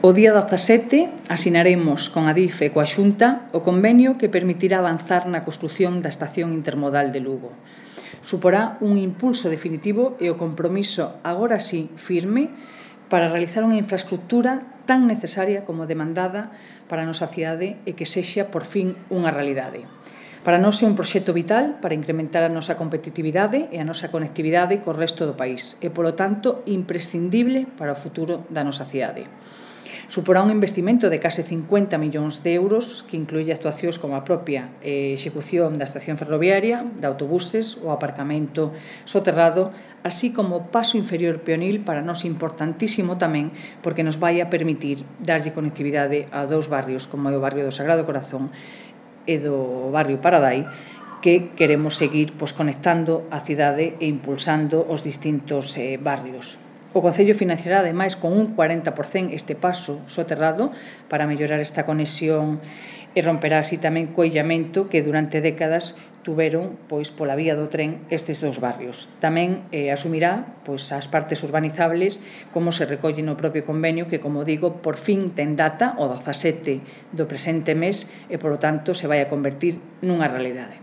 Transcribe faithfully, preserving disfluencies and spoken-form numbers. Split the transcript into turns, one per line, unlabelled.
O día dezasete asinaremos con a DIF e coa Xunta o convenio que permitirá avanzar na construción da estación intermodal de Lugo. Suporá un impulso definitivo e o compromiso, agora sí, firme, para realizar unha infraestructura tan necesaria como demandada para a nosa cidade e que sexa, por fin, unha realidade. Para nós é un proxecto vital para incrementar a nosa competitividade e a nosa conectividade co resto do país e, polo tanto, imprescindible para o futuro da nosa cidade. Suporá un investimento de case cincuenta millóns de euros que incluye actuacións como a propia eh, execución da estación ferroviaria, de autobuses, o aparcamento soterrado, así como o paso inferior peonil para nós importantísimo tamén porque nos vai a permitir darlle conectividade a dous barrios como é o barrio do Sagrado Corazón e do barrio Paradai, que queremos seguir pois, conectando a cidade e impulsando os distintos eh, barrios. O Concello financiará, ademais, con un cuarenta por cento este paso soterrado para mellorar esta conexión e romperá así tamén co illamento que durante décadas tuveron pois, pola vía do tren estes dous barrios. Tamén eh, asumirá pois, as partes urbanizables como se recolle no propio convenio que, como digo, por fin ten data o dezasete do presente mes e, polo tanto, se vai a convertir nunha realidade.